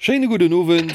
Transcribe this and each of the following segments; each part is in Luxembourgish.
Schéine gudden Owend.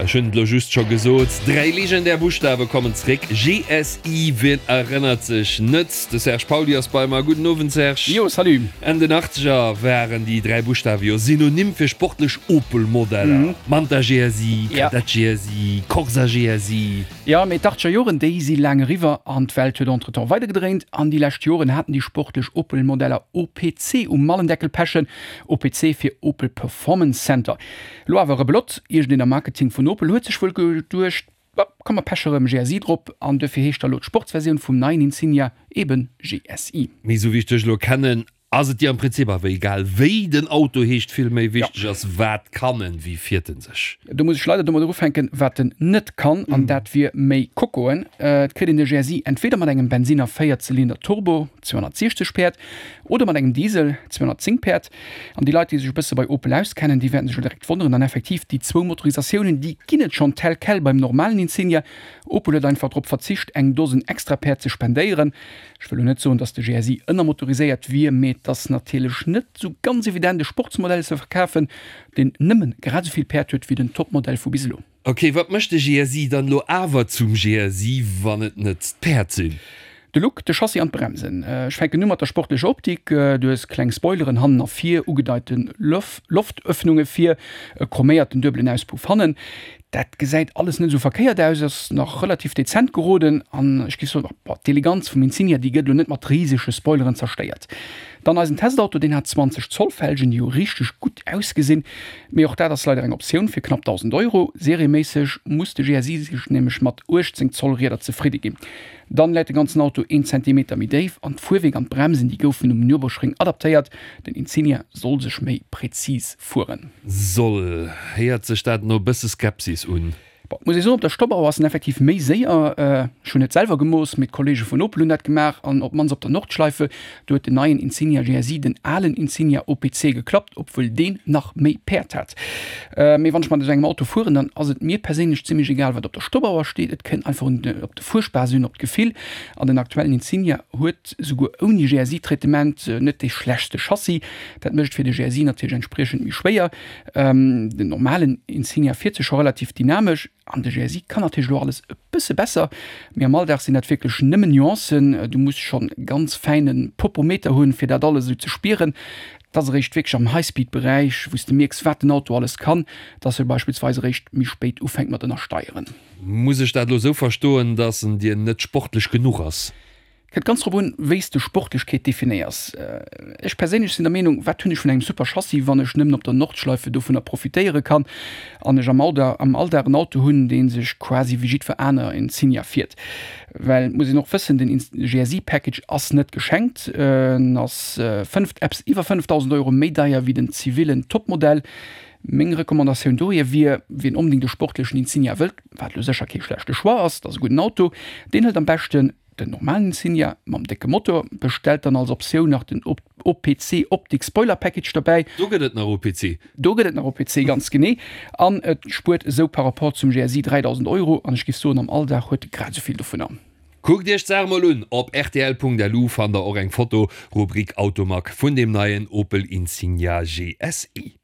Ech hunn et elo just scho gesot, 3 legendär Buschtawe kommen zréck, GSI, wien erënnert sech net? De Serge Pauly ass bei mer. Gudden Owend Serge. Jo, salut. Enn den Achtzeger waren déi 3 Buschtawe jo Synonym fir sportlech Opel-Modeller, Manta GSI, Kadett GSI, Corsa GSI. Jo, mee d'Achtzeger Joren, déi si laang eriwwer an d'Welt huet entretemps weidergedréint. An déi lescht Joren haten déi sportlech Opel-Modeller OPC um Mallendeckel pechen, OPC fir Opel Performance Center. Elo awer Rebelott, iergendeen am Marketing vun Opel huet sech wuel geduecht, Bah, komm mer peche rëm GSI drop an duerfir heescht da lo d'Sportsversioun vum neien Insignia eben GSI. Mee esou wéi ech dech elo kennen, Ass et dir am Prinzip awer egal wéi den Auto heescht, vill méi wichteg ass wat kann en, wéi fiert en sech? Do muss ech leider domadder ufänken wat en net kann, an dat wier méi Kokoen. Et kritt een de GSI entweder mat engem Bensinner 4 Zylinder Turbo, 260 Päerd, oder mat engem Diesel, 210 Päerd. An déi Leit déi sech e bësse bei Opel auskennen, déi wäerten sech elo direkt wonneren, an effektiv déi zwou Motorisatiounen déi ginn et schonn tel quel beim normalen Insignia. Opel huet einfach drop verzicht eng Dosen extra Päerd ze spendéieren. Ech wëll lo net soen, dass de GSI ënnermotoriséiert wier, mee et ass natierlech net sou ganz evident e Sportsmodell ze verkafen, deen nëmmen grad esou vill Päerd huet wéi den Topmodell vu bis elo. Ok, wat mécht de GSI dann elo awer zum GSI, wann et net d'Päerd sinn? De Look, de Chassis an d'Bremsen. Ech fänken u mat der sportlecher Optik. Du hues kleng Spoileren hannen a vir, ugedeite Loftöffnunge vir, e chroméierten duebelen Auspuff hannen. Dat gesäit alles net esou verkéiert aus, ass nach relativ dezent geroden an ech géif soen, bon, d'Eleganz vum Insignia, déi gëtt elo net mat risege Spoileren zerstéiert. Dann eisen Testauto, deen hat 20 Zoll Felgen, déi jo richteg gutt ausgesinn, mee och dat ass leider eng Optioun fir knapp 1.000 Euro. Serieméisseg muss de GSI sech nämlech mat 18 Zoll Rieder zefridde ginn. Dann läit de ganzen Auto een Zentimeter méi déif an d'Fuerwierk an d'Bremsen, déi goufen um Nürburgring adaptéiert. Den Insignia soll sech méi präzis fueren. Soll. Héiert sech dat no bësse Skepsis un? Bon, muss ee soen, op der Stoppauer ass en effektiv méi séier. Ech hunn net selwer gemooss, mee d'Kollege vun Opel hunn dat gemaach. An op d'mannst op der Nordschleife, do huet den neien Insignia GSI den alen Insignia OPC geklappt, obwuel deen nach méi Päerd hat. Mee wann ech mat esou engem Auto fueren, dann ass et mir perséinlech zimmlech egal, wat op der Stoppauer steet. Et kënnt einfach un op de Fuerspaass un, op d'Gefill. An den aktuellen Insignia huet souguer ouni GSI-Traitement net dee schlechtste Chassis. Dat mécht et fir de GSI natierlech entspriechend méi schwéier. Den normalen Insignia fiert sech scho relativ dynamesch an de GSI kann natierlech elo alles e bësse besser, mee am Alldag sinn dat wierklech nëmmen Nuancen. Du muss schonn e ganz fäine Popometer hunn, fir dat alles esou ze spieren. Et ass eréischt wierklech am Highspeed-Beräich, wou s de mierks, wat den Auto alles kann, dass e beispillsweis eréischt méi spéit ufänkt mat ënnersteieren. Muss ech dat elo esou verstoen, dass en dir net sportlech genuch ass? Kënnt ganz drop un, wéi s de Sportlechkeet definéiers. Ech perséinlech sinn der Meenung, wat hunn ech vun engem super Chassis, wann ech nëmmen op der Nordschleife dovunner profitéiere kann an ech am am Alldag en Auto hunn, dee sech quasi wéi jiddwer aner Insignia fiert. Well et muss een och wëssen, den GSI Package ass net geschenkt, en ass 5, eppes iwwer 5.000 Euro méi deier wéi den zivillen Topmodell. Meng Recommandatioun dohier wier, wien onbedéngt e sportlechen Insignia wëllt, wat elo sécher kee schlechte Choix ass, et ass e gudden Auto, deen hëlt am beschten Den normalen Insignia mam décke Motor, bestellt dann als Optioun nach den OPC Optic Spoiler Package dobäi. Do gëtt et nach OPC. Do gëtt et nach OPC, ganz genee. An et spuert esou par rapport zum GSI 3.000 Euro. An ech géif soen, am Alldag huet e grad esou vill dovunner. Kuckt iech d'Saach mol un! Op rtl.lu fannt der och eng Foto, Rubrik Automag, vun deem neien Opel Insignia GSI.